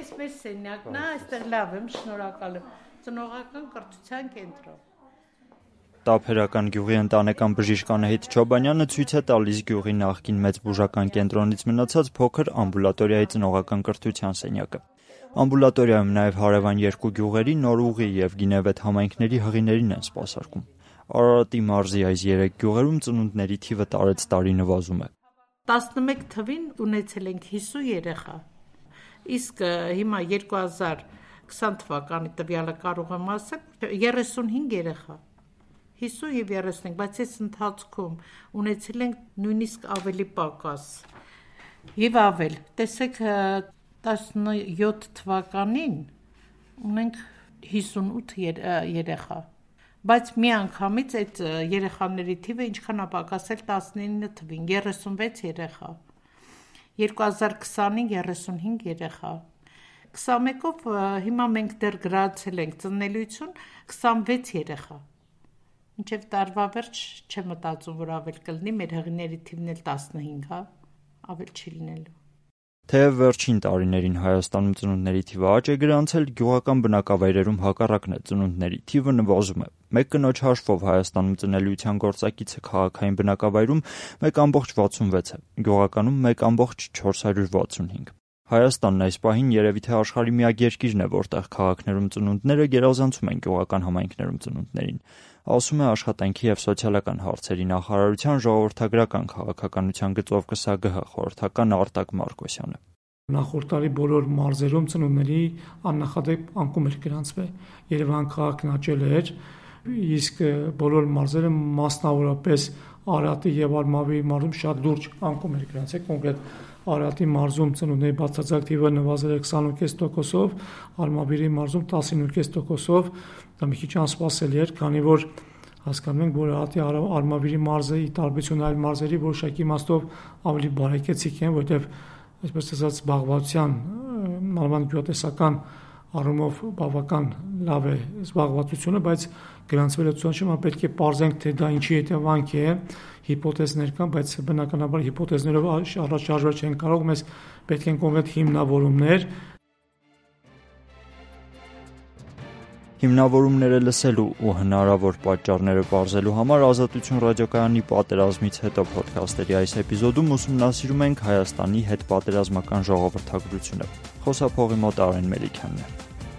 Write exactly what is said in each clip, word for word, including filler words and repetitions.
Էս մեր սենյակն է, այստեղ լավ եմ, շնորհակալ եմ։ Ծնողական կրթության կենտրոն։ Տափերական գյուղի ընտանեկան բժիշկ Անահիտ Չոբանյանը ցույց է տալիս գյուղի նախկին մեծ բուժական կենտրոնից մնացած փոքր ամբուլատորիայի ծնողական կրթության սենյակը։ Ամբուլատորիայում նաև հարևան երկու գյուղերի Նորուղի և Գինևեթ համայնքների հղիներին են սպասարկում։ Արարատի մարզի այս երեք գյուղերում ծնունդների թիվը տարեց տարի նվազում է։ տասնմեկ թվին ունեցել ենք հիսուն երեխա, իսկ հիմա երկու հազար քսան թվականի տվյալը կարող եմ ասել երեսունհինգ երեխա, հիսուն և երեսունհինգ, բայց այս ընթացքում ունեցել ենք նույնիսկ ավելի պակաս և ավել, տեսեք տասնյոթ թվականին ունենք հիսունութ երեխա, բայց մի անգամից այդ երեխաների թիվը ինչքան է պակասել տասնինը թվին, երեսունվեց երեխա, երկու հազար քսանին երեսունհինգ երեխա, քսանմեկով հիմա մենք դեռ գրացել ենք ծնելիություն քսանվեց երեխա, մինչև տարվա վերջ չեմ մտածում, որ ավել կլինի, մեր հղիների թիվն էլ տասնհինգ է, ավել չի լինելու։ Թեև վերջին տարիներին Հայաստանում ծնունդների թիվը աճ է գրանցել, գյուղական բնակավայրերում հակառակն է, ծնունդների թիվը նվազում է։ Մեկ կնոջ հաշվով Հայաստանում ծնելիության գործակիցը քաղաքային բնակավայրում մեկ ամբողջ վաթսունվեց է, գյուղականում մեկ ամբողջ չորս հարյուր վաթսունհինգ։ Հայաստանն այս պահին երևի թե աշխարհի միակ երկիրն է, որտեղ քաղաքներում ծնունդները գերազանցում են գյուղական համայնքներում ծնունդներին, ասում է Աշխատանքի և սոցիալական հարցերի նախարարության ժողովրդագրական քաղաքականության գծով Կ Ս Ագ Հ խորհրդական Արտակ Մարկոսյանը։ Նախորդ տարի բոլոր մարզերում ծնունդների աննախադեպ անկում էր գրանցվել։ Երևան քաղաքն աճել էր, իսկ բոլոր մարզերը մասնավորապես Արարատի և Արմավիրի մարզում շատ լուրջ անկում էր գրանցվել, կոնկրետ Արարատի մարզում ծնունդների բացարձակ թիվը նվազել է քսանուր կես տոկոսով, Արմավիրի մարզում տասնինը կես տոկոսով, դա մի քիչ անսպասելի էր, քանի որ հասկանում ենք, որ Արարատի Արմավիրի մարզը ի տարբերություն այլ մարզերի որոշակի իմաստով ավելի բարեկեցիկ են, որտեղ այսպես ասած զբաղվածության մանավանդ գյուղատնտեսական առումով բավական լավ է զբաղվածությունը, բայց գրանցվել է ցուցանիշը, պետք է պարզենք, թե դա ինչի հետևանք է, հիպոթեզներ կան, բայց բնականաբար հիպոթեզներով առաջ շարժվել չեն կարող, մեզ պետք են կոնկրետ հիմնավորումներ։ Հիմնավորումները լսելու ու հնարավոր պատճառները պարզելու համար Ազատություն ռադիոկայանի պատերազմից հետո փոդքասթերի այս էպիզոդում ուսումնասիրում ենք Հայաստանի հետպատերազմական ժողովրդագրությունը։ Խոսափողի մոտ Արեն Մելիքյանն է։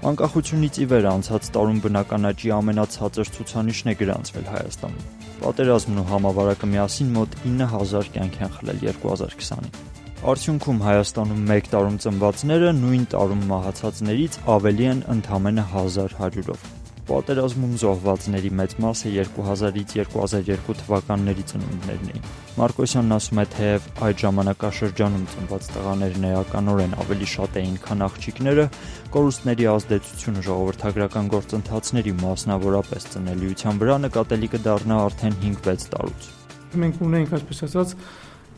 Անկախությունից ի վեր անցած տարում բնական աճի ամենացածր ցուցանիշն է գրանցվել Հայաստանում։ Պատերազմն ու համավարակը միասին մոտ ինը հազար կյանք են խլել երկու հազար քսանին։ Արդյունքում Հայաստանում մեկ տարում ծնվածները նույն տարում մահացածներից ավելի են ընդամենը հազար հարյուրով։ Պատերազմում զոհվածների մեծ մասը երկու հազարից երկու հազար երկու թվականների ծնունդներն էին։ Մարկոսյանն ասում է, թեև այդ ժամանակաշրջանում ծնված տղաներն էականորեն ավելի շատ էին, քան աղջիկները, կորուստների ազդեցությունը ժողովրդագրական գործընթացների, մասնավորապես ծնելիության վրա նկատելի կդառնա արդեն հինգ-վեց տարուց։ Մենք ունենք, այսպես ասած,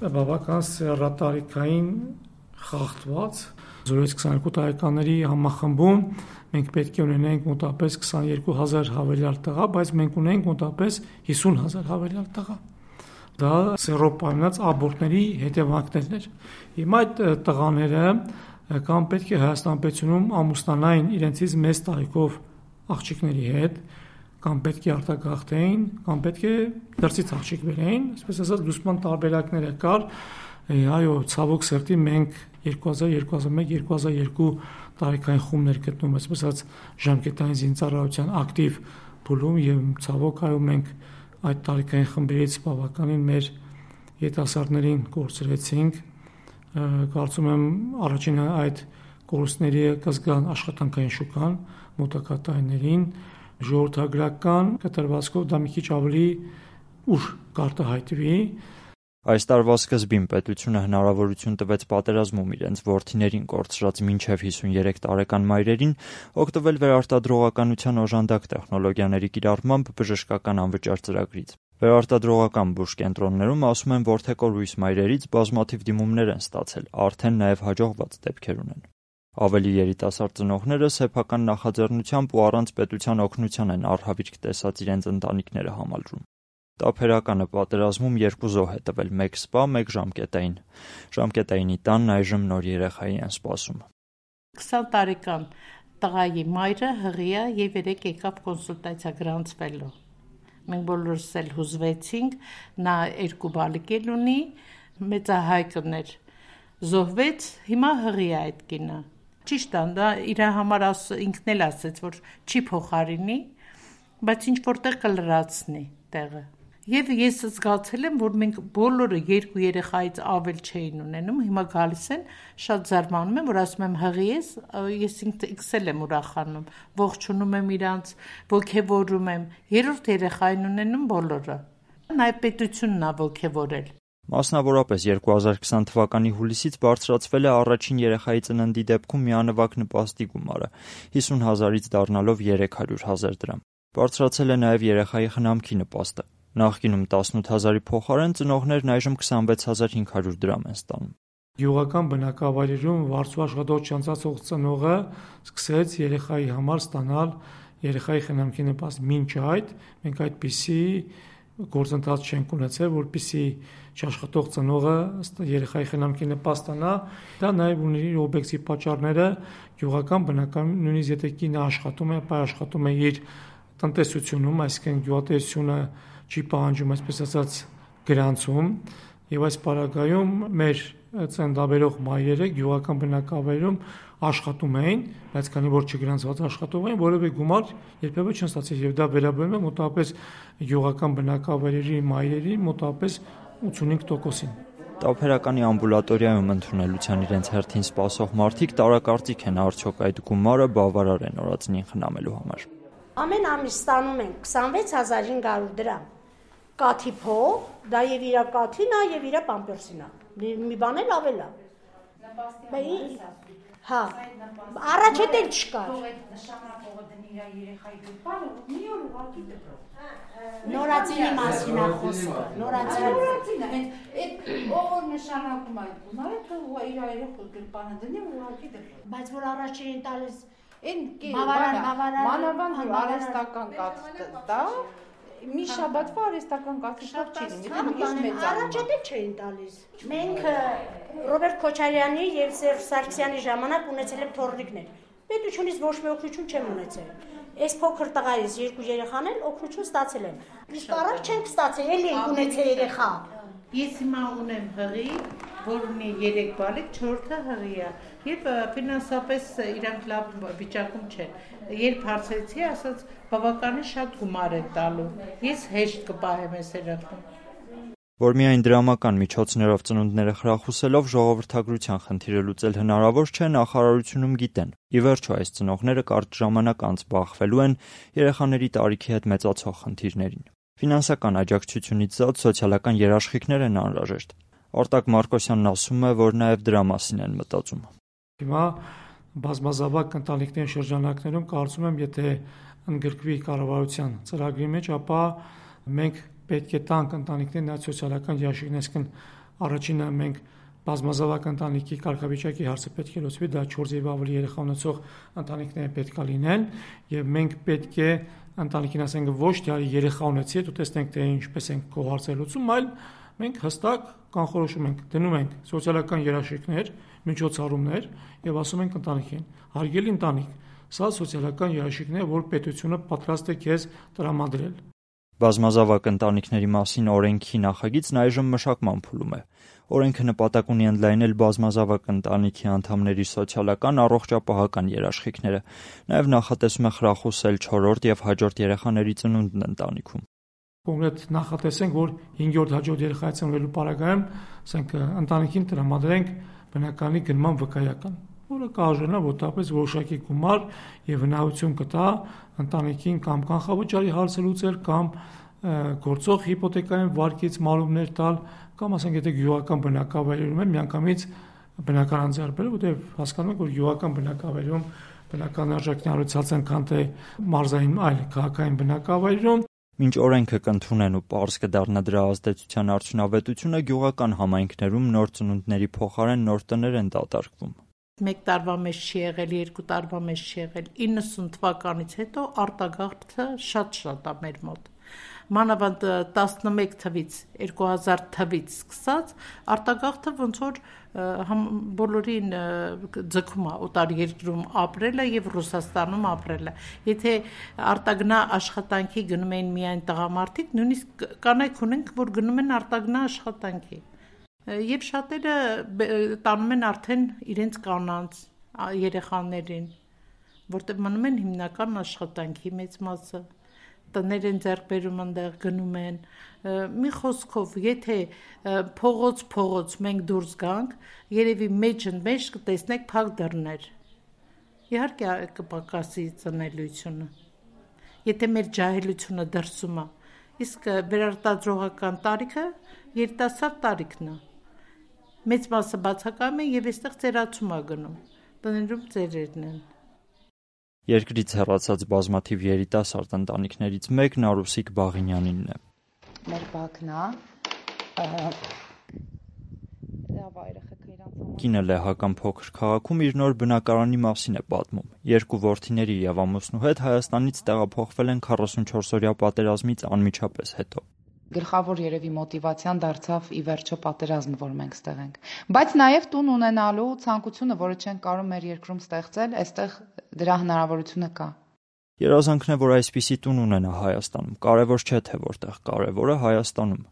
բավական սեռատարիքային խախտված զորից քսաներկու տարեկանների համախմբում մենք պետք է ունենենք մոտապես քսաներկու հազար հավելյալ տղա, բայց մենք ունենք մոտապես հիսուն հազար հավելյալ տղա։ Դա սեռով պայմանած աբորտների հետևանքներն էր։ Հիմա այդ տղաները կամ պետք է Հայաստան պետությունում ամուսնանային իրենցից մեծ տարիքով աղջիկների հետ, կամ պետք է արտագաղթեին, կամ պետք է դրսից աղջիկ բերեին, այսպես ասած լուսման տարբերակները կար, այո, ցավոք սրտի մենք երկու հազար, երկու հազար մեկ, երկու հազար երկու տարեկան խումբներ գտնում, այսպես ասած ժամկետային զինծառայության ակտիվ փուլում եւ ցավոք այո մենք այդ տարեկային խմբերից բավականին մեր երիտասարդներին կորցրեցինք, կարծում եմ առաջին այդ կորուստների կզգան աշխատանքային շուկան մոտակա տարիներին, ժողովրդագրական կտրվածքով դա մի քիչ ավելի ուշ կարտահայտվի։ Այս տարվա սկզբին պետությունը հնարավորություն տվեց պատերազմում իրենց որդիներին կորցրած մինչև հիսունյերեք տարեկան մայրերին օգտվել վերարտադրողականության օժանդակ տեխնոլոգիաների կիրառմամբ բժշկական անվճար ծրագրից։ Վերարտադրողական բուժկենտրոններում ասում են, որ թեկորույս մայրերից բազմաթիվ դիմումներ են ստացել, արդեն նաև հաջողված դեպքեր ունեն։ Ավելի երիտասարդ ծնողները սեփական նախաձեռնությամբ ու առանց պետության օգնության են առհավիրք տեսած իրենց ընտանիքները համալրում։ Տափերականը պատերազմում երկու զոհ է տվել, մեկ սպա, մեկ ժամկետային։ Ժամկետայինի տանն այժմ նոր երեխայի են սպասում։ քսան տարեկան տղայի մայրը հղիա եւ երեք եկավ կոնսուլտացիա գրանցվելու։ Մենք բոլորս էլ հուզվեցինք, նա երկու բալիկել ունի, մեծահայկն էր, զոհվեց, հիմա հղիա այդ կինը։ Ճիշտ է, դա իր համար ինքն էլ ասեց, որ չի փոխարինի, բայց ինչ որտեղ կլրացնի տեղը։ Եվ ես զգացել եմ, որ մենք բոլորը երկու երեխայից ավել չէին ունենում, հիմա գալիս են, շատ զարմանում եմ, որ ասում եմ հղի ես, ես ինքս էլ եմ ուրախանում, ողջունում եմ իրանց, ոգևորում եմ, երրորդ երեխային ունենում բոլորը։ Նաև պետությունն է ոգևորել։ Մասնավորապես երկու հազար քսան թվականի հուլիսից բարձրացվել է առաջին երեխայի ծննդի դեպքում միանվագ նպաստի գումարը, հիսուն հազարից դառնալով երեք հարյուր հազար դրամ։ Բարձրացել է նաև երեխայի խնամքի նպաստը։ Նախկինում տասնութ հազարի փոխարեն ծնողներն այժմ քսանվեց հազար հինգ հարյուր դրամ են ստանում։ Գյուղական բնակավայրերում վարձու աշխատող չանցածող ծնողը սկսեց երեխայի համար ստանալ երեխայի խնամքի նպաստ։ Մինչ այդ մենք այդպիսի գործընթաց չենք ունեցել, որպեսզի չաշխատող ծնողը երեխայի խնամքի նպաստ ստանա։ Դա նաև ունի իր օբյեկտիվ պատճառները գյուղական բնակարանում, նույնիսկ եթե կինը աշխատում է, բայց աշխատում է իր տնտեսությունում, այսինքն գյուղատնտեսությունը չի պահանջում, այսպես ասած, գրանցում, եւ այս պարագայում մեր ծննդաբերող մայրերը գյուղական բնակավայրում աշխատում էին, բայց քանի որ չգրանցված աշխատող էին, որևէ գումար երբևէ չեն ստացել, եւ դա վերաբերում է մոտավորապես գյուղական բնակավայրերի մայրերի մոտավորապես ութսունհինգ տոկոսին։ Տափերականի ամբուլատորիայում ընդունելության իրենց հերթին սպասող մարդիկ տարակարծիք են, արդյոք այդ գումարը բավարար է նորածնին խնամելու համար։ Ամեն ամիս ստանում ենք քսանվեց հազար հինգ հարյուր դրամ։ Կաթի փող, դա եւ իրա կաթին է եւ իրա պամպերսին է։ Մի բան էլ ավել է։ Հա, առաջ հետ էլ չկար։ Նշանակողը դնի իր երեխայի դեպքը, մի օր ուղղակի դեպք։ Նորածինի մասին է խոսքը, նորածինը։ Այդ ով նշանակում այդ գումարը, թող իր երեխու գրպանը դնի ուղղակի դեպք։ Բայց որ առաջին տալիս Այն մանավանդ արհեստական կաթ տա, մի շաբաթվա արհեստական կաթի փող չի լինի, առաջ էլ չէին տալիս։ Մենք Ռոբերտ Քոչարյանի եւ Սերժ Սարգսյանի ժամանակ ունեցել եմ թորնիկներ։ Պետությունից ոչ մի օգնություն չեմ ունեցել։ Այս փոքր տղայից երկու երեխան էլ օգնություն ստացել են։ Իսկ առաջ չենք ստացել, էլի ենք ունեցել երեխա։ Ես հիմա ունեմ հղի, որ ունի երեք բալիկ, չորրորդը հղի է, եւ ֆինանսապես իրանք լավ վիճակում չեն։ Երբ հարցրեցի, ասաց բավականին շատ գումար է տալու։ Ես հեշտ կպահեմ այս երեխան։ Որ միայն դրամական միջոցներով ծնունդները խրախուսելով ժողովրդագրության խնդիրը լուծել հնարավոր չէ, նախարարությունում գիտեն։ Ի վերջո այս ծնողները կարճ ժամանակ անց բախվելու են երեխաների տարիքի հետ մեծացող խնդիրներին։ Ֆինանսական աջակցությունից զատ սոցիալական երաշխիքներ են անհրաժեշտ։ Արտակ Մարկոսյանն ասում է, որ նաև դրա մասին են մտածում։ Հիմա բազմազավակ ընտանիքների շրջանակներում կարծում եմ, եթե ընդգրկվի կառավարության ծրագրի մեջ, ապա մենք պետք է տանք ընտանիքներին այդ սոցիալական երաշխիքներ, այսինքն առաջինը մենք բազմազավակ ընտանիքի կարգավիճակի հարցը պետք է լուծվի, դա չորս եւ ավելի երեխա ունեցող ընտանիքները պետք է լինեն, եւ մենք պետք է ընտանիքին ասենք ոչ թե արի երեխա ունեցի, դու տեսնենք թե ինչպես ենք քո հարցը լուծում, այլ մենք հստակ կանխորոշում ենք, դնում ենք սոցիալական երաշխիքներ, միջոցառումներ եւ ասում ենք ընտանիքին, հարգելի ընտանիք, սա սոցիալական երաշխիքներ, որ պետությունը պատրաստ է քեզ տրամադրել։ Բազմազավակ ընտանիքների մասին օրենքի նախագիծն այժմ մշակման փուլում է։ Օրենքը նպատակ ունի ընդլայնել բազմազավակ ընտանիքի անդամների սոցիալական առողջապահական երաշխիքները, նաև նախատեսում է խրախուսել չորրորդ եւ հաջորդ երեխաների ծնունդն ընտանիքում։ Կոնկրետ նախատեսենք, որ հինգերորդ հաջորդ երեխայի ծնվելու պարագայում, ասենք, ընտանիքին տրամադրենք բնականի գնման վկայական, որը կարժենա որտեղից որոշակի գումար եւ հնարավորություն կտա ընտանիքին կամ կանխավճարի հարցը լուծել, կամ գործող հիպոթեկային վարկից մարումներ տալ, կամ ասենք եթե գյուղական բնակավայրերում են միանգամից բնական ձեռբերել, որտեղ հասկանում եք, որ գյուղական բնակավայրում բնական արժեքն առուցած են, քան թե մարզային այլ քաղաքային բնակավայրերում։ Մինչ օրենքը կընդունեն ու պարզ կդառնա դրա ազդեցության արդյունավետությունը, գյուղական համայնքներում նոր ծնունդների փոխարեն նոր տներ են դատարկվում։ Մեկ տարվա մեջ չի եղել, երկու տարվա մեջ չի եղել, իննսուն թվականից հետո արտագաղթը շատ-շատ է մեր մոտ։ մանավանդ տասնմեկ թվից, երկու հազար թվից սկսած, արտագաղթը ոնց որ բոլորին ձգում է օտարերկրում ապրելը եւ Ռուսաստանում ապրելը։ Եթե արտագնա աշխատանքի գնում են միայն տղամարդիկ, նույնիսկ կանայք ունենք, որ գնում են արտագնա աշխատանքի։ Եվ շատերը տանում են արդեն իրենց կանանց, երեխաներին, որտեղ մնում են հիմնական աշխատանքի մեծ մասը, տներ են ձեռք բերում այնտեղ գնում են։ Մի խոսքով, եթե փողոց փողոց մենք դուրս գանք, երևի մեջն մեջ կտեսնեք փակ դռներ։ Իհարկե կպակասի ծնելիությունը։ Եթե մեր ջահելությունը դրսում է, իսկ վերարտադրողական տարիքը երիտասարդ տարիքն է։ Մեծ մասը բացակայում է եւ այստեղ ծերացում է գնում։ Տներում ծերերն են։ Երկրից հեռացած բազմաթիվ երիտասարդ ընտանիքներից մեկն Արուսիկ Բաղինյանինն է։ Մեր բակն է։ Կինը լեհական փոքր քաղաքում իր նոր բնակարանի մասին է պատմում։ Երկու որդիների եւ ամուսնու հետ Հայաստանից տեղափոխվել են քառասունչորսօրյա պատերազմից անմիջապես հետո։ Գլխավոր երևի մոտիվացիան դարձավ ի վերջո պատերազմը, որ մենք ստեղ ենք։ Բայց նաև տուն ունենալու ցանկությունը, որը չենք կարող մեր երկրում ստեղծել, այստեղ դրա հնարավորությունը կա։ Երազանքն է, որ այսպիսի տուն ունենա Հայաստանում։ Կարևոր չէ թե որտեղ, կարևորը Հայաստանում։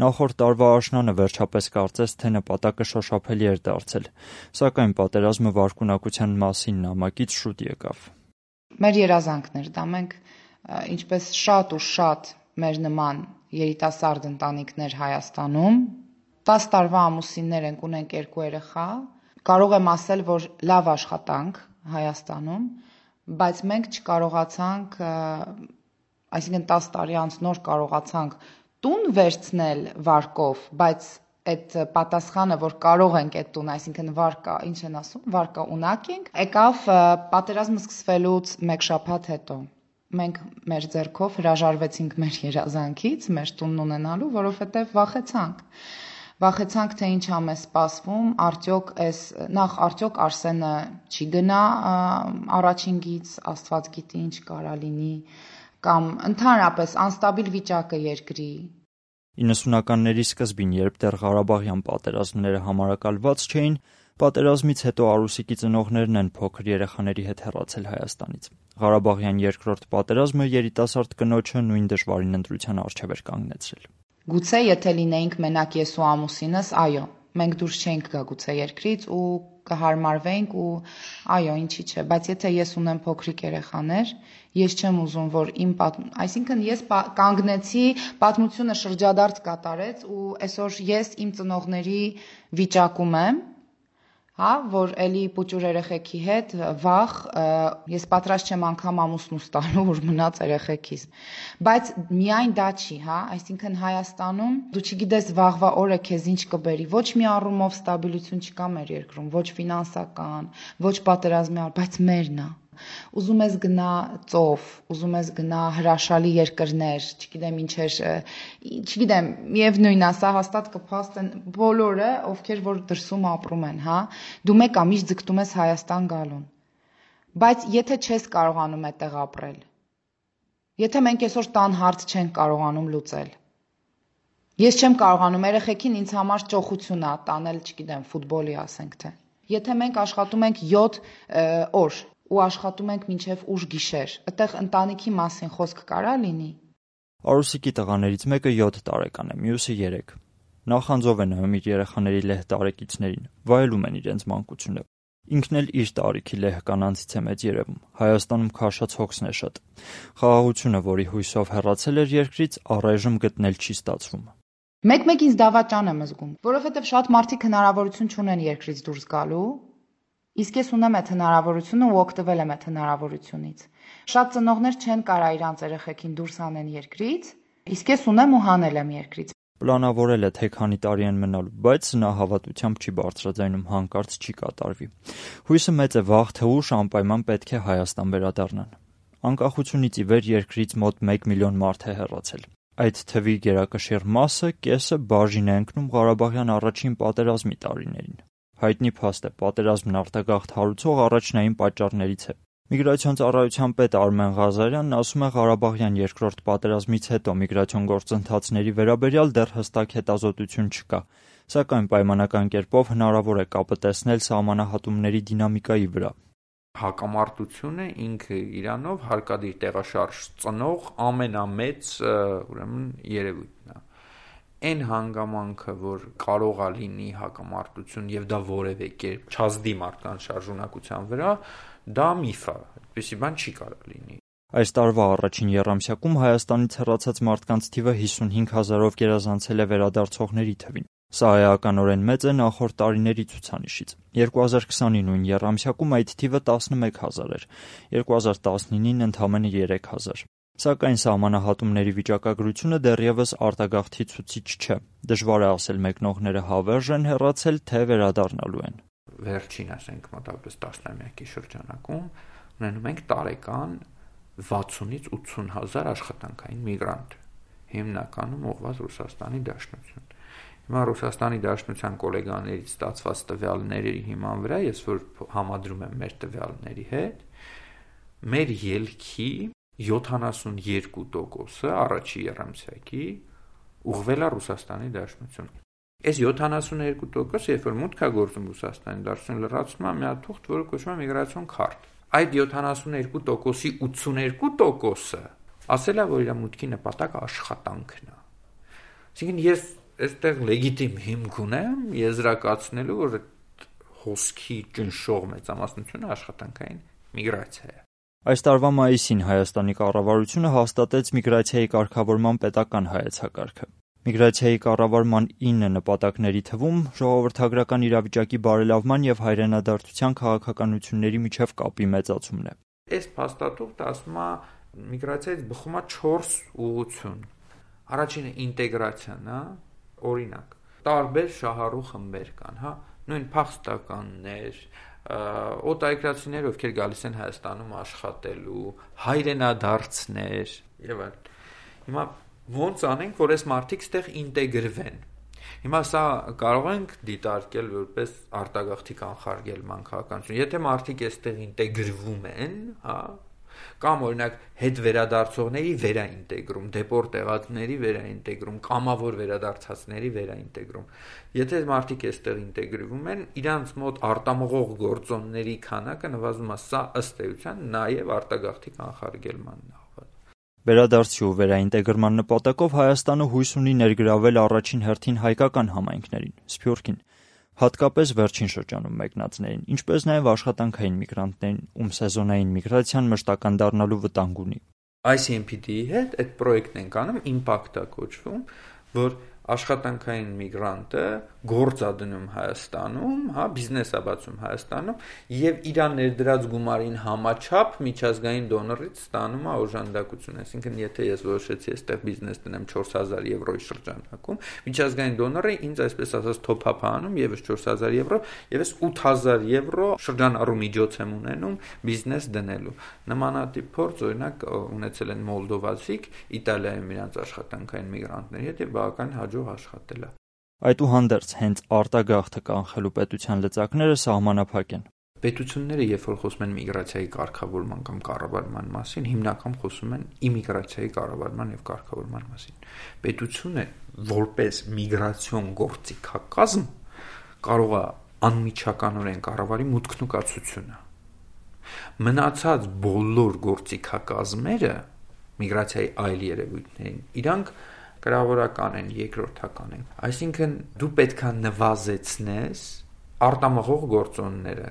Նախորդ տարվա աշնանը վերջապես կարծես թե նպատակը շոշափելի էր դարձել, սակայն պատերազմը վարքունակության մասին նամակից շուտ եկավ։ Մեր երազանքն էր դա, մենք ինչպես շատ ու շատ մեր նման երիտասարդ ընտանիքներ Հայաստանում, տասը տարվա ամուսիններ ենք, ունենք երկու երեխա, կարող եմ ասել, որ լավ աշխատանք Հայաստանում, բայց մենք չկարողացանք, այսինքն տասը տարի անց նոր կարողացանք տուն վերցնել վարկով, բայց այդ պատասխանը, որ կարող ենք այդ տուն, այսինքն վարկա, ինչ են ասում, վարկա ունակ ենք, եկավ պատերազմը սկսվելուց մեկ շաբաթ հետո։ Մենք մեր ձեռքով հրաժարվեցինք մեր երազանքից, մեր տունն ունենալու, որովհետև վախեցանք։ Վախեցանք, թե ինչ ամ է սպասվում, արդյոք այս նախ արդյոք Արսենը չի գնա առաջինգից, Աստված գիտի ինչ կարա լինի, կամ ընդհանրապես անստաբիլ վիճակը երկրի։ իննսունականների սկզբին, երբ դեռ Ղարաբաղյան պատերազմները համարակալված չէին, պատերազմից հետո Արուսիկի ծնողներն են փոքր երեխաների հետ հեռացել Հայաստանից։ Ղարաբաղյան երկրորդ պատերազմը երիտասարդ կնոջը նույն դժվարին ընտրության առջև էր կանգնեցրել։ Գուցե եթե լինեինք մենակ ես ու ամուսինս, այո, մենք դուրս չէինք գա գուցե երկրից ու կհարմարվեինք ու այո, ինչի՞ չէ, բայց եթե ես ունեմ փոքրիկ երեխաներ, ես չեմ ուզում, որ իմ պատ... այսինքն ես կանգնեցի, պատմությունը շրջադարձ կատարեց ու այսօր ես իմ ծնողների վիճակում եմ, հա, որ էլի պուճուր երեխեքի հետ վախ, ես պատրաստ չեմ անգամ ամուսնուս տալու, որ մնաց երեխեքիս։ Բայց միայն դա չի, հա, այսինքն Հայաստանում դու չգիտես վաղվա օրը քեզ ինչ կբերի, ոչ մի առումով ստաբիլություն չկա մեր երկրում, ոչ ֆինանսական, ոչ պատերազմի, բայց մերն է։ Ուզում ես գնա ծով, ուզում ես գնա հրաշալի երկրներ, չգիտեմ ինչեր, չգիտեմ, միևնույն է, սա հաստատ կփաստեն բոլորը, ովքեր որ դրսում ապրում են, հա, դու մեկ ամիշ ձգտում ես Հայաստան գալուն։ Բայց եթե չես կարողանում այդտեղ ապրել, եթե մենք այսօր տան հարց չենք կարողանում լուծել, ես չեմ կարողանում, երեխեքին ինձ համար ճոխություն է տանել, չգիտեմ, ֆուտբոլի ասենք թե։ Եթե մենք աշխատում ենք յոթ օր ու աշխատում ենք մինչև ուշ գիշեր, այդտեղ ընտանիքի մասին խոսք կարա լինի։ Արուսիկի տղաներից մեկը յոթ տարեկան է, մյուսը երեք։ Նախանձով է նայում իր երեխաների լեհ տարեկիցներին, վայելում են իրենց մանկությունը։ Ինքն էլ իր տարիքի լեհ կանանցից է մեծ երևում։ Հայաստանում քաշած հոգսն է շատ։ Խաղաղությունը, որի հույսով հեռացել էր երկրից, առայժմ գտնել չի ստացվում։ Մեկ-մեկ ինձ դավաճան եմ զգում, որովհետև շատ մարդիկ հնարավորություն չունեն երկրից դուրս գալու։ Իսկ ես ունեմ այդ հնարավորությունը ու օգտվել եմ այդ հնարավորությունից։ Շատ ծնողներ չեն կարա իրանց երեխեքին դուրս անեն երկրից, իսկ ես ունեմ ու հանել եմ երկրից։ Պլանավորել է թե քանի տարի են մնալու, բայց նա հավատությամբ չի բարձրաձայնում, հանկարծ չի կատարվի։ Հույսը մեծ է, վաղ թե ուշ անպայման պետք է Հայաստան վերադառնան։ Անկախությունից ի վեր երկրից մոտ մեկ միլիոն մարդ է հեռացել։ Այդ թվի գերակշիռ մասը, կեսը բաժին է ընկնում Ղարաբաղյան առաջին պատերազմի տարիներին։ Հայտնի փաստ է, պատերազմն արտագաղթ հարուցող առաջնային պատճառներից է։ Միգրացիոն ծառայության պետ Արմեն Ղազարյանն ասում է Ղարաբաղյան երկրորդ պատերազմից հետո միգրացիոն գործընթացների վերաբերյալ դեռ հստակ հետազոտություն չկա, սակայն պայմանական կերպով հնարավոր է կապը տեսնել սահմանահատումների դինամիկայի վրա։ Հակամարտությունը ինքը իրանով հարկադիր տեղաշարժ ծնող ամենամեծ ուրեմն երևույթն է։ Այն հանգամանքը, որ կարող է լինի հակամարտություն եւ դա որևէ կերպ չազդի մարդկանց շարժունակության վրա, դա միֆ է, այդպիսի բան չի կարող լինի։ Այս տարվա առաջին եռամսյակում Հայաստանից հեռացած մարդկանց թիվը հիսունհինգ հազարով գերազանցել է վերադարձողների թվին։ Սա էականորեն մեծ է նախորդ տարիների ցուցանիշից։ երկու հազար քսանի նույն եռամսյակում այդ թիվը տասնմեկ հազար էր, երկու հազար տասնինին ընդամենը երեք հազար։ Սակայն սահմանահատումների վիճակագրությունը դեռևս արտագաղթի ցուցիչ չէ։ Դժվար է ասել մեկնողները հավերժ են հեռացել, թե վերադառնալու են։ Վերջին, ասենք, մոտավորապես տասնամյակի շրջանակում ունենում ենք տարեկան վաթսունից ութսուն հազար աշխատանքային միգրանտ, հիմնականում ուղղված Ռուսաստանի Դաշնություն։ Հիմա Ռուսաստանի Դաշնության գոլեգաներից ստացված տվյալների հիման վրա, ես որ համադրում եմ մեր տվյալների հետ, մեր ելքի յոթանասունյոթ տոկոսը առաջի եռամսյակի ուղղվել է Ռուսաստանի Դաշնություն։ Այս յոթանասունյոթ տոկոսը, երբ որ մուտք է գործում Ռուսաստանի Դաշնություն, լրացում է մի հատ թուղթ, որը կոչվում է միգրացիոն քարտ։ Այդ յոթանասունյոթ տոկոսի ութսուներկու տոկոսը ասել է, որ իր մուտքի նպատակը աշխատանքն է։ Այսինքն ես այստեղ լեգիտիմ հիմք ունեմ եզրակացնելու, որ հոսքի ճնշող մեծամասնությունը աշխատանքային միգրացիա է։ Այս տարվա մայիսին Հայաստանի կառավարությունը հաստատեց միգրացիայի կարգավորման պետական հայեցակարգը։ Միգրացիայի կառավարման ինը նպատակների թվում ժողովրդագրական իրավիճակի բարելավման եւ հայրենադարձության քաղաքականությունների միջև կապի մեծացումն է։ Այս փաստաթուղթը ասում է միգրացիայից բխում է չորս ուղղություն։ Առաջինը ինտեգրացիան է, օրինակ, տարբեր շահառու խմբեր կան, հա, նույն փախստականներ, օտարերկրացիներ, ովքեր գալիս են Հայաստանում աշխատելու, հայրենադարձներ եւ այլն։ Հիմա ոնց անենք, որ այս մարդիկ ստեղ ինտեգրվեն։ Հիմա սա կարող ենք դիտարկել որպես արտագաղթի կանխարգելման քաղաքականություն։ Եթե մարդիկ այստեղ ինտեգրվում են, հա, կամ օրինակ հետ վերադարձողների վերաինտեգրում, դեպորտ եղածների վերաինտեգրում, կամավոր վերադարձածների վերաինտեգրում։ Եթե մարդիկ այստեղ ինտեգրվում են, իրանց մոտ արտամղող գործոնների քանակը նվազում է, սա ըստ էության նաև արտագաղթի կանխարգելմանն է։ Վերադարձի ու վերաինտեգրման նպատակով Հայաստանը հույս ունի ներգրավել առաջին հերթին հայկական համայնքներին, Սփյուռքին, հատկապես վերջին շրջանում մեկնածներին, ինչպես նաև աշխատանքային միգրանտներին, ում սեզոնային միգրացիան մշտական դառնալու վտանգ ունի։ I C M P D-ի հետ այդ պրոյեկտն ենք անում, Impact-ը կոչվում, որ աշխատանքային միգրանտը գործ է դնում Հայաստանում, հա, բիզնես է բացում Հայաստանում եւ իր ներդրած գումարին համաչափ միջազգային դոնորից ստանում է օժանդակություն, այսինքն եթե ես որոշեցի այստեղ բիզնես դնեմ չորս հազար եվրոյի շրջանակում, միջազգային դոնորը ինձ այսպես ասած top-up անում եւս չորս հազար եվրո, եւս ութ հազար եվրո շրջանառու միջոց եմ ունենում բիզնես դնելու։ Նմանատիպ փորձ օրինակ ունեցել են Մոլդովացիք Իտալիայում իրենց աշխատանքային միգրանտների հետ եւ բավական հաջող աշխատել է։ Այդուհանդերձ հենց արտագաղթը կանխելու պետության լծակները սահմանափակ են։ Պետությունները, երբ որ խոսում են միգրացիայի կարգավորման կամ կառավարման մասին, հիմնական խոսում են իմիգրացիայի կառավարման եւ կարգավորման մասին։ Պետությունը որպես միգրացիոն գործիքակազմ կարող է անմիջականորեն կառավարի մուտքն ու կացությունը։ Մնացած բոլոր գործիքակազմերը միգրացիայի այլ երևույթներին, իրանք կրավորական են, երկրորդական են։ Այսինքն դու պետք է նվազեցնես արտամղող գործոնները։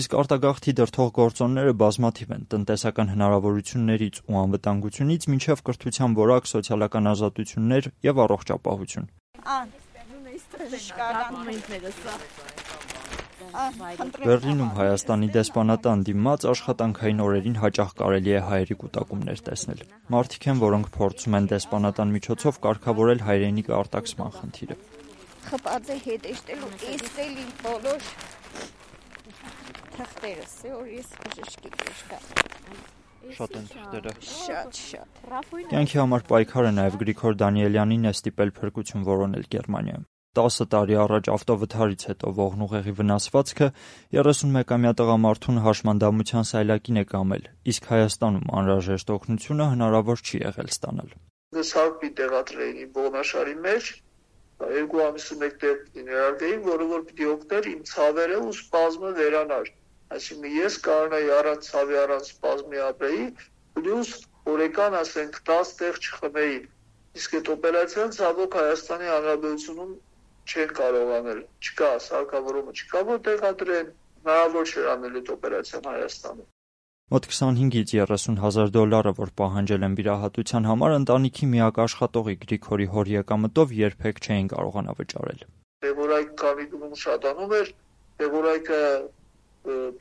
Իսկ արտագաղթի դրդող գործոնները բազմաթիվ են՝ տնտեսական հնարավորություններից ու անվտանգությունից մինչև կրթության որակ, սոցիալական ազատություններ եւ առողջապահություն։ Բեռլինում Հայաստանի դեսպանատան դիմաց աշխատանքային օրերին հաճախ կարելի է հայերի կուտակումներ տեսնել։ Մարդիկ են, որոնք փորձում են դեսպանատան միջոցով կարգավորել հայրենիք արտաքսման խնդիրը։ Խփած է հետեշտելու էստելի բոլոր թղթերս, որ ես բժշկի կշկա։ Շատ են թղթերը։ Շատ, շատ։ Կյանքի համար պայքարը նաև Գրիգոր Դանիելյանին է ստիպել փրկություն որոնել Գերմանիայում։ տասը տարի առաջ ավտովթարից հետո ողնուղեղի վնասվածքը երեսունմեկամյա տղամարդուն հաշմանդամության սայլակին է կամել, իսկ Հայաստանում անհրաժեշտ օգնությունը հնարավոր չի եղել ստանալ։ Սարպի տեղադրեին իմ ողնաշարի մեջ, երկու ամիսը մեկ տեղ ներարկեին, որը որ պիտի օգներ իմ ցավերը ու սպազմը վերանար։ Այսինքն ես կարողանայի առանց ցավի, առանց սպազմի ապրեի, պլյուս օրեկան ասենք տասը տեղ չխմեի։ Իսկ այդ օպերացիան ցավոք Հայաստանի Հանրապետությունում չեն կարող անել, չկա, սարքավորումը չկա, որ տեղադրեն, հնարավոր չէր անել այդ օպերացիան Հայաստանում։ Մոտ քսանհինգից երեսուն հազար դոլարը, որ պահանջել են վիրահատության համար, ընտանիքի միակ աշխատողի Գրիգորի հոր եկամտով երբեք չէին կարողանա վճարել։ Տեղորայք կավիդում շատանում էր, տեղորայքը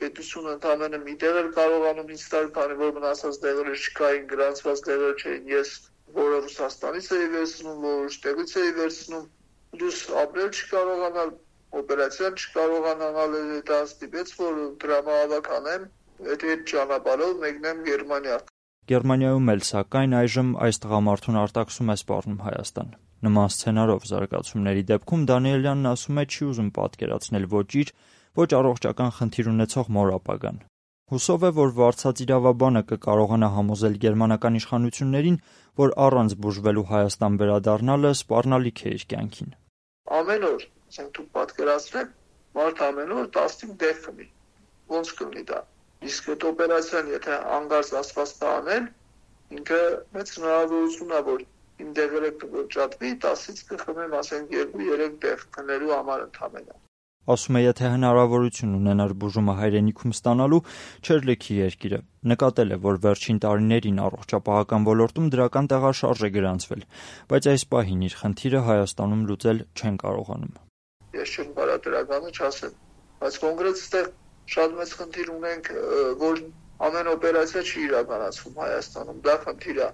պետությունը ընդամենը մի տեղ էր կարողանում ինձ տալ, քանի որ մնացած տեղերը չկային, գրանցված տեղերը չէին, ես որը Ռուսաստանից էի վերցնում, որոշ տեղից էի վերցնում, դուս ապրել չկարողանալ, օպերացիան չկարողանալ, դա ստիպեց, որ դրամահավաք անեմ, այդ ճանապարհով մեկնեմ Գերմանիա։ Գերմանիայում էլ սակայն այժմ այս տղամարդուն արտաքսում է սպառնում Հայաստան։ Նման սցենարով զարգացումների դեպքում Դանիելյանն ասում է չի ուզում պատկերացնել ոչ իր, ոչ առողջական խնդիր ունեցող մոր ապագան։ Հուսով է, որ վարձած իրավաբանը կկարողանա համոզել գերմանական իշխանություններին, որ առանց բուժվելու Հայաստան վերադառնալը սպառնալիք է իր կյանքին։ Ամեն օր, ասենք դուք պատկերացրեք, մարդ ամեն օր տասնհինգ տեղ խմի։ Ոնց կլինի դա։ Իսկ այդ օպերացիան, եթե անգարց ասված տանել, ինքը մեծ հնարավորություն է, որ իմ դեղերը կվճատվի, տասից կխմեմ, ասենք երկու երեք տեղ քնելու համար ընդամենը։ Ասում է, եթե հնարավորություն ունենար բուժումը հայրենիքում ստանալու, չէր լքի երկիրը։ Նկատել է, որ վերջին տարիներին առողջապահական ոլորտում դրական տեղաշարժ է գրանցվել, բայց այս պահին իր խնդիրը Հայաստանում լուծել չեն կարողանում։ Ես չեմ կարող դրականը չասեմ, բայց կոնկրետ այստեղ շատ մեծ խնդիր ունենք, որ ամեն օպերացիա չի իրականացվում Հայաստանում, դա խնդիր է,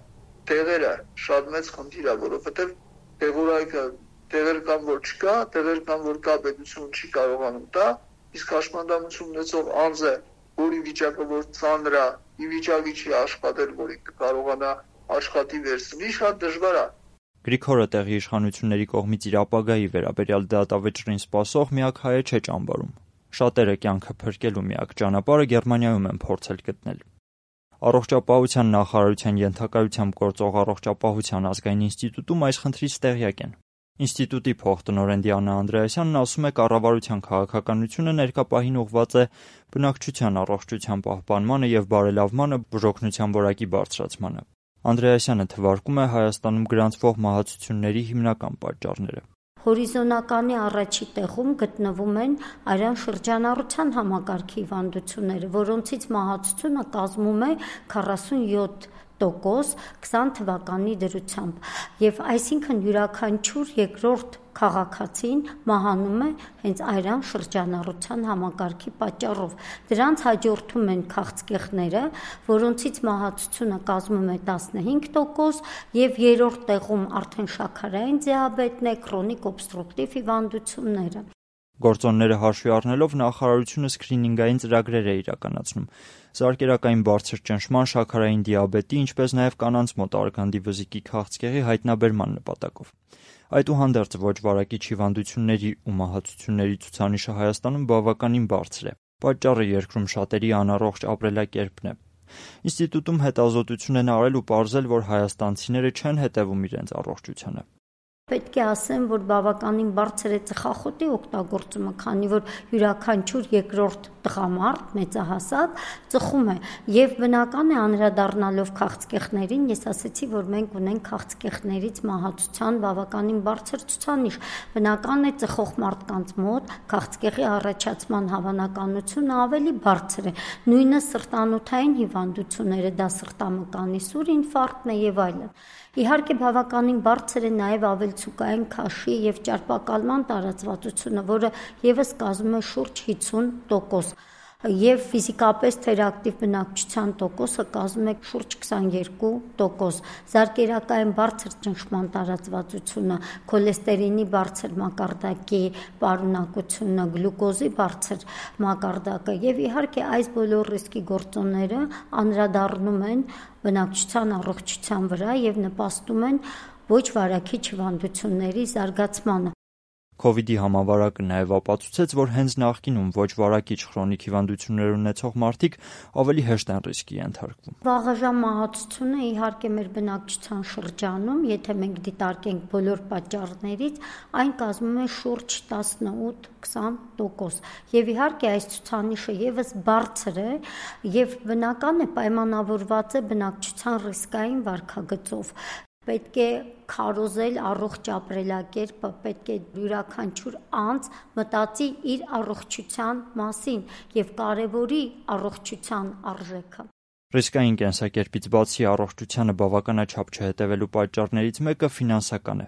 տեղերը շատ մեծ խնդիր է, որովհետև տեղորայքը տեղեր կան, որ չկա, տեղեր կան, որ կա, պետություն չի կարողանում տա, իսկ հաշմանդամություն ունեցող անձը, որի վիճակը որ ծանր է, ի վիճակի չի աշխատել, որ կարողանա աշխատի վերցնի, շատ դժվար է։ Գրիգորը տեղի իշխանությունների կողմից իր ապագայի վերաբերյալ դատավճռին սպասող միակ հայը չէ ճամբարում։ Շատերը կյանքը փրկելու միակ ճանապարհը Գերմանիայում են փորձել գտնել։ Առողջապահության նախարարության ենթակայությամբ գործող առողջապահության ազգային ինստիտուտում այս խնդրից տեղյակ են։ Ինստիտուտի փոխտնօրեն Դիանա Անդրեասյանն ասում է, կառավարության քաղաքականությունը ներկա պահին ուղղված է բնակչության առողջության պահպանմանը եւ բարելավմանը, բուժօգնության որակի բարձրացմանը։ Անդրեասյանը թվարկում է Հայաստանում գրանցվող մահացությունների հիմնական պատճառները։ Հորիզոնականի առաջի տեղում գտնվում են արյան շրջանառության համակարգի հիվանդությունները, որոնցից մահացությունը կազմում է քառասունյոթ տոկոս քսան թվականի դրությամբ, եւ այսինքն յուրաքանչյուր երկրորդ քաղաքացին մահանում է հենց արյան շրջանառության համակարգի պատճառով։ Դրանց հաջորդում են քաղցկեղները, որոնցից մահացությունը կազմում է տասնհինգ տոկոս, եւ երրորդ տեղում արդեն շաքարային դիաբետն է, քրոնիկ օբստրուկտիվ հիվանդությունները։ Գործոնները հաշվի առնելով նախարարությունը սկրինինգային ծրագրեր է իրականացնում։ Զարկերակային բարձր ճնշման, շաքարային դիաբետի, ինչպես նաև կանանց մոտ արգանդի վզիկի քաղցկեղի հայտնաբերման նպատակով։ Այդուհանդերձ ոչ վարակիչ հիվանդությունների ու մահացությունների ցուցանիշը Հայաստանում բավականին բարձր է։ Պատճառը երկրում շատերի անառողջ ապրելակերպն է։ Ինստիտուտում հետազոտություն են արել ու պարզել, որ հայաստանցիները չեն հետևում իրենց առողջությանը։ Պետք է ասեմ, որ բավականին բարձր է ծխախոտի օգտագործումը, քանի որ յուրաքանչյուր երկրորդ տղամարդ մեծահասակ ծխում է, եւ բնական է անդրադառնալով քաղցկեղներին, ես ասացի, որ մենք ունենք քաղցկեղներից մահացության բավականին բարձր ցուցանիշ։ Բնական է ծխող մարդկանց մոտ քաղցկեղի առաջացման հավանականությունը ավելի բարձր է։ Նույնը սրտանոթային հիվանդությունները, դա սրտամկանի սուր ինֆարկտն է եւ այլն։ Իհարկե բավականին բարձր է նաև ավելցուկային քաշի եւ ճարպակալման տարածվածությունը, որը եւս կազմում է շուրջ հիսուն տոկոս, եւ ֆիզիկապես թերակտիվ բնակչության տոկոսը կազմում է շուրջ քսաներկու տոկոս։ Զարկերակային բարձր ճնշման տարածվածությունը, քոլեստերինի բարձր մակարդակի պարունակությունը, գլյուկոզի բարձր մակարդակը եւ իհարկե այս բոլոր ռիսկի գործոնները անդրադառնում են բնակչության առողջության վրա եւ նպաստում են ոչ վարակիչ հիվանդությունների զարգացմանը։ Քովիդի համավարակը նաև ապացուցեց, որ հենց նախկինում ոչ վարակիչ քրոնիկ հիվանդություններ ունեցող մարդիկ ավելի հեշտ են ռիսկի ենթարկվում։ Վաղաժամ մահացությունը իհարկե մեր բնակչության շրջանում, եթե մենք դիտարկենք բոլոր պատճառներից, այն կազմում է շուրջ տասնութ քսան տոկոս։ Եվ իհարկե այս ցուցանիշը եւս բարձր է եւ բնական է պայմանավորված է բնակչության ռիսկային վարքագծով։ Պետք է քարոզել առողջ ապրելակերպը, պետք է յուրաքանչյուր անձ մտածի իր առողջության մասին եւ կարեւորի առողջության արժեքը։ Ռիսկային կենսակերպից բացի առողջությանը բավականաչափ չհետևելու պատճառներից մեկը ֆինանսական է։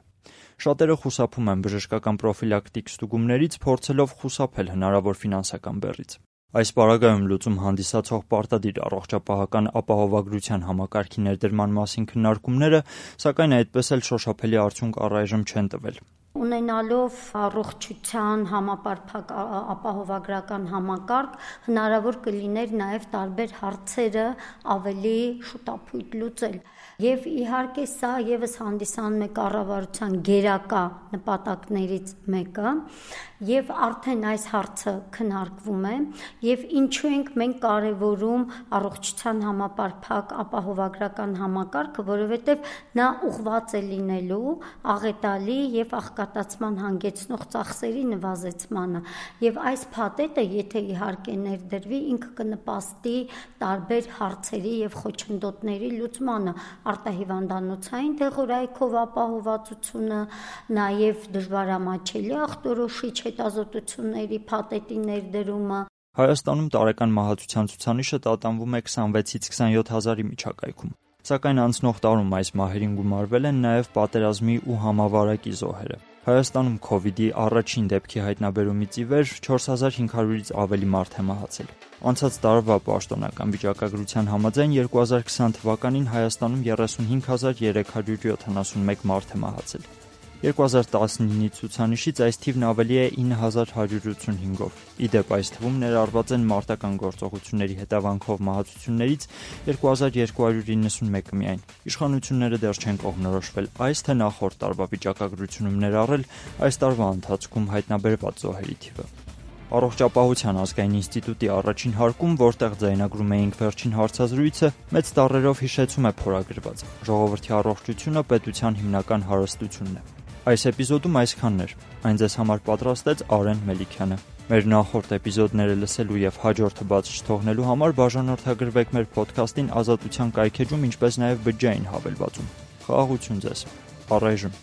Շատերը խուսափում են բժշկական պրոֆիլակտիկ ստուգումներից, փորձելով խուսափել հնարավոր ֆինանսական բեռից։ Այս պարագայում լուծում հանդիսացող պարտադիր առողջապահական ապահովագրության համակարգի ներդրման մասին քննարկումները, սակայն այդպես էլ շոշափելի արդյունք առայժմ չեն տվել։ Ունենալով առողջության համապարփակ ապահովագրական համակարգ, հնարավոր կլիներ նաև տարբեր հարցերը ավելի շուտապույտ լուծել։ Եվ իհարկե սա եւս հանդիսանում է կառավարության գերակա նպատակներից մեկը, եւ արդեն այս հարցը քննարկվում է, եւ ինչու ենք մենք կարևորում առողջության համապարփակ ապահովագրական համակարգը, որովհետեւ նա ուղղված է լինելու աղետալի եւ աղքատացման հանգեցնող ծախսերի նվազեցմանը, եւ այս փաթեթը, եթե իհարկե ներդրվի, ինքը կնպաստի տարբեր հարցերի եւ խոչընդոտների լուծմանը, արտահիվանդանոցային դեղորայքով ապահովվածությունը, նաեւ դժվարամատչելի ախտորոշիչ հետազոտությունների փաթեթի ներդրումը։ Հայաստանում տարեկան մահացության ցուցանիշը տատանվում է քսանվեցից քսանյոթ հազարի միջակայքում։ Սակայն անցնող տարում այս մահերին գումարվել են նաև պատերազմի ու համավարակի զոհերը։ Հայաստանում քովիդի առաջին դեպքի հայտնաբերումից ի վեր չորս հազար հինգ հարյուրից ավելի մարդ է մահացել։ Անցած տարվա պաշտոնական վիճակագրության համաձայն երկու հազար քսան թվականին Հայաստանում երեսունհինգ հազար երեք հարյուր յոթանասունմեկ մարդ է մահացել։ երկու հազար տասնինի ցուցանիշից այս թիվն ավելի է ինը հազար հարյուր ութսունհինգով։ Ի դեպ, այս թվում ներառված են մարտական գործողությունների հետևանքով մահացություններից երկու հազար երկու հարյուր իննսունմեկը միայն։ Իշխանությունները դեռ չեն կողմնորոշվել այս թե նախորդ տարվա վիճակագրությունում ներառել այս տարվա ընթացքում հայտնաբերված զոհերի թիվը։ Առողջապահության ազգային ինստիտուտի առաջին հարկում, որտեղ ձայնագրում էինք վերջին հարցազրույցը, մեծ տառերով հիշեցում է փորագրված. ժողովրդի առողջությունը պետության հիմնական հարստությունն է։ Այս էպիզոդում այսքանն էր։ Այն ձեզ համար պատրաստեց Արեն Մելիքյանը։ Մեր նախորդ էպիզոդները լսելու եւ հաջորդը բաց չթողնելու համար բաժանորդագրվեք մեր ոդքասթին Ազատության կայքեջում, ինչպես նաեւ բջջային հավելվածում։ Խաղաղություն ձեզ։ Առայժմ